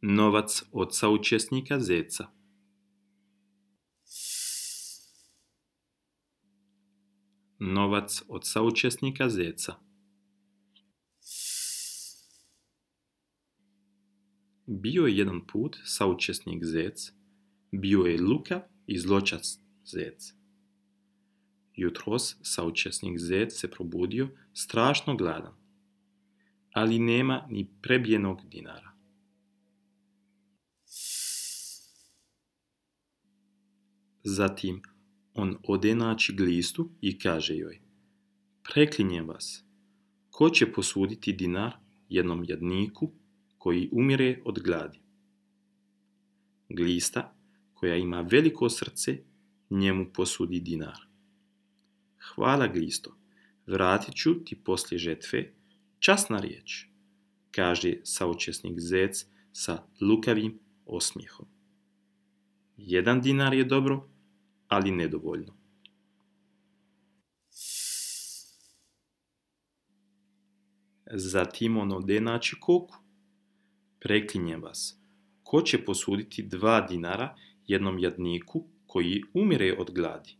Novac od saučesnika zeca. Novac od saučesnika zeca. Bio je jedan put saučesnik zec, bio je lukav i zločest zec. Jutros saučesnik zec se probudio strašno gladan, ali nema ni prebijenog dinara. Zatim on ode naći glistu i kaže joj: Preklinjem vas, ko će posuditi dinar jednom jadniku koji umire od gladi? Glista, koja ima veliko srce, njemu posudi dinar. Hvala, glisto, vratit ću ti poslije žetve, časna riječ, kaže saučesnik zec sa lukavim osmijehom. 1 dinar je dobro, ali nedovoljno. Zatim on ode naći koku. Preklinjem vas, ko će posuditi 2 dinara jednom jadniku koji umire od gladi?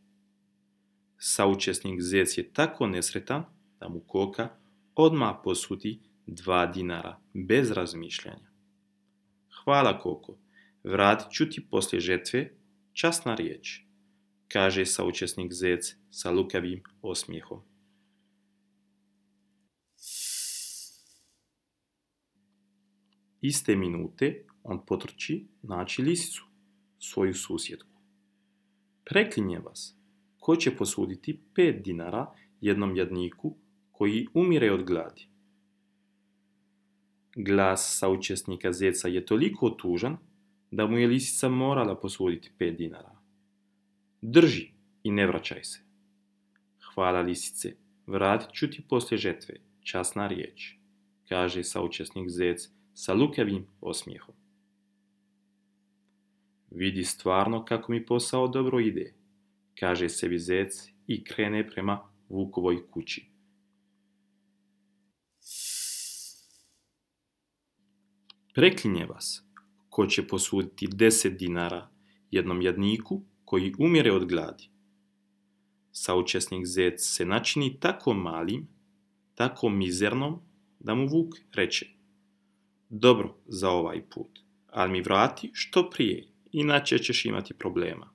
Saučesnik zec je tako nesretan da mu koka odmah posudi 2 dinara bez razmišljanja. Hvala, koko, vratit ću ti poslije žetve, časna riječ, kaže saučesnik zec sa lukavim osmijehom. Iste minute on potrči naći lisicu, svoju susjedku. Preklinjem vas, ko će posuditi 5 dinara jednom jadniku koji umire od gladi? Glas saučesnika zeca je toliko tužan da mu je lisica morala posuditi 5 dinara. Drži i ne vraćaj se. Hvala, lisice, vratit ću ti poslije žetve, časna riječ, kaže saučesnik zec sa lukavim osmijehom. Vidi stvarno kako mi posao dobro ide, kaže sebi zec i krene prema vukovoj kući. Preklinje vas, ko će posuditi 10 dinara jednom jadniku koji umire od gladi? Saučesnik zec se načini tako malim, tako mizernom, da mu vuk reče: Dobro za ovaj put, ali mi vrati što prije, inače ćeš imati problema.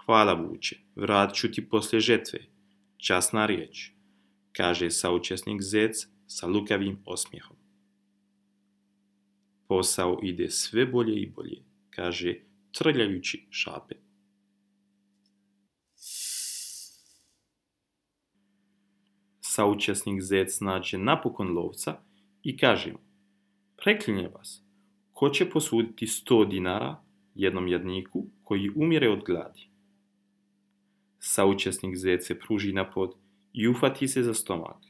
Hvala, vuče, vratit ću ti poslije žetve, časna riječ, kaže saučesnik zec sa lukavim osmijehom. Posao ide sve bolje i bolje, kaže trljajući šape. Saučesnik zec nađe napokon lovca i kaže mu: Preklinjem vas, ko će posuditi 100 dinara jednom jadniku koji umire od gladi? Saučesnik zec se pruži napod i uhvati se za stomak.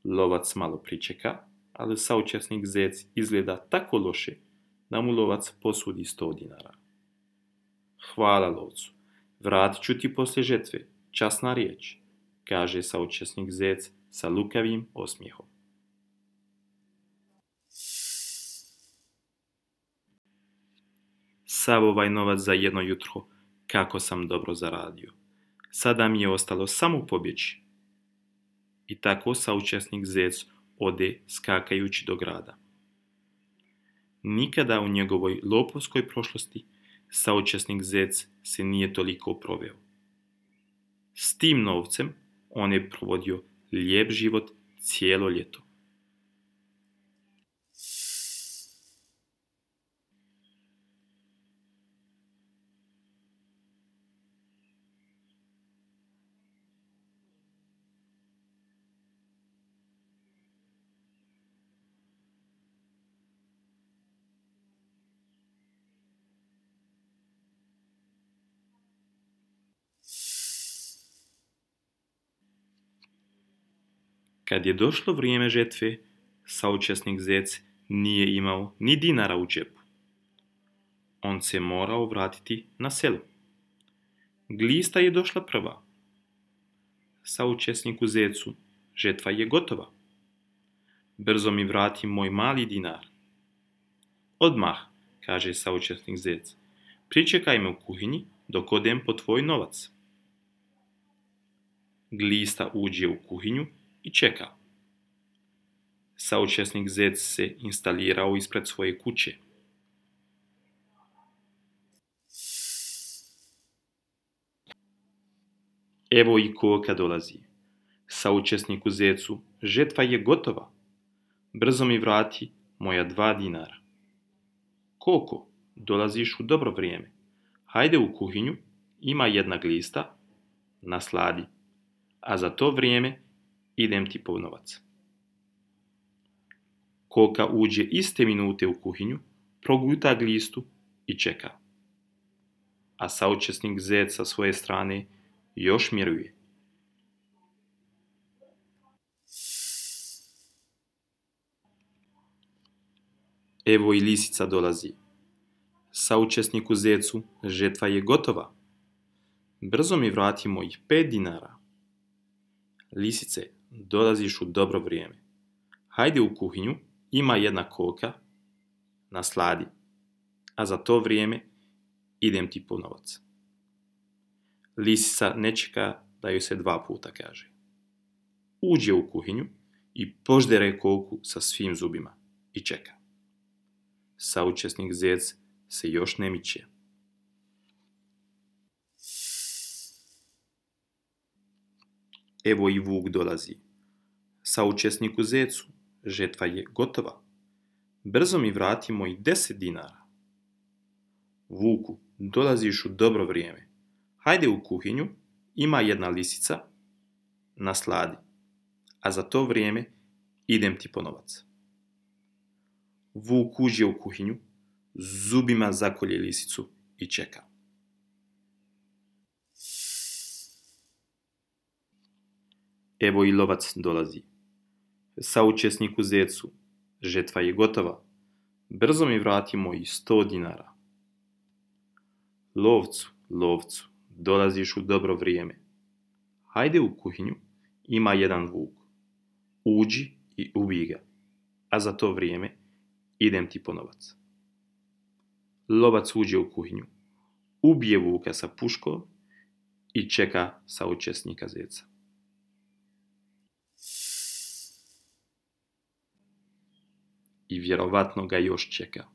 Lovac malo pričeka, ali saučesnik zec izgleda tako loše da mu lovac posudi 100 dinara. Hvala, lovcu, vratit ću ti poslije žetve, časna riječ, kaže saučesnik zec sa lukavim osmijehom. Sav ovaj novac za jedno jutro, kako sam dobro zaradio. Sada mi je ostalo samo pobjeći. I tako saučesnik zec ode skakajući do grada. Nikada u njegovoj lopovskoj prošlosti saučesnik zec se nije toliko proveo. S tim novcem on je provodio lijep život cijelo ljeto. Kad je došlo vrijeme žetve, saučesnik zec nije imao ni dinara u džepu. On se morao vratiti na selo. Glista je došla prva. Saučesniku zecu, žetva je gotova. Brzo mi vrati moj mali dinar. Odmah, kaže saučesnik zec. Pričekaj me u kuhinji dok odem po tvoj novac. Glista uđe u kuhinju i čeka. Saučesnik zec se instalirao ispred svoje kuće. Evo i koka dolazi. Saučesniku zecu, žetva je gotova. Brzo mi vrati moja 2 dinara. Koko, dolaziš u dobro vrijeme. Hajde u kuhinju, ima jedna glista, nasladi, a za to vrijeme idem ti po novac. Koka uđe iste minute u kuhinju, proguta glistu i čeka. A saučesnik zec sa svoje strane još miruje. Evo i lisica dolazi. Saučesniku zecu, žetva je gotova. Brzo mi vrati mojih 5 dinara. Lisice, dolaziš u dobro vrijeme. Hajde u kuhinju, ima jedna koka, nasladi, a za to vrijeme idem ti po novac. Lisica ne čeka da joj se 2 puta kaže. Uđe u kuhinju i poždere koku sa svim zubima i čeka. Saučesnik zec se još ne miče. Evo i vuk dolazi. Saučesniku zecu, žetva je gotova. Brzo mi vrati mojih 10 dinara. Vuku, dolaziš u dobro vrijeme. Hajde u kuhinju, ima jedna lisica, nasladi, a za to vrijeme idem ti po novac. Vuk uđe u kuhinju, zubima zakolje lisicu i čeka. Evo i lovac dolazi. Saučesniku zecu, žetva je gotova. Brzo mi vrati mojih 100 dinara. Lovcu, lovcu, dolaziš u dobro vrijeme. Hajde u kuhinju, ima jedan vuk. Uđi i ubij ga, a za to vrijeme idem ti po novac. Lovac uđe u kuhinju, ubije vuka sa puškom i čeka saučesnika zeca. I vjerovatno ga još čeka.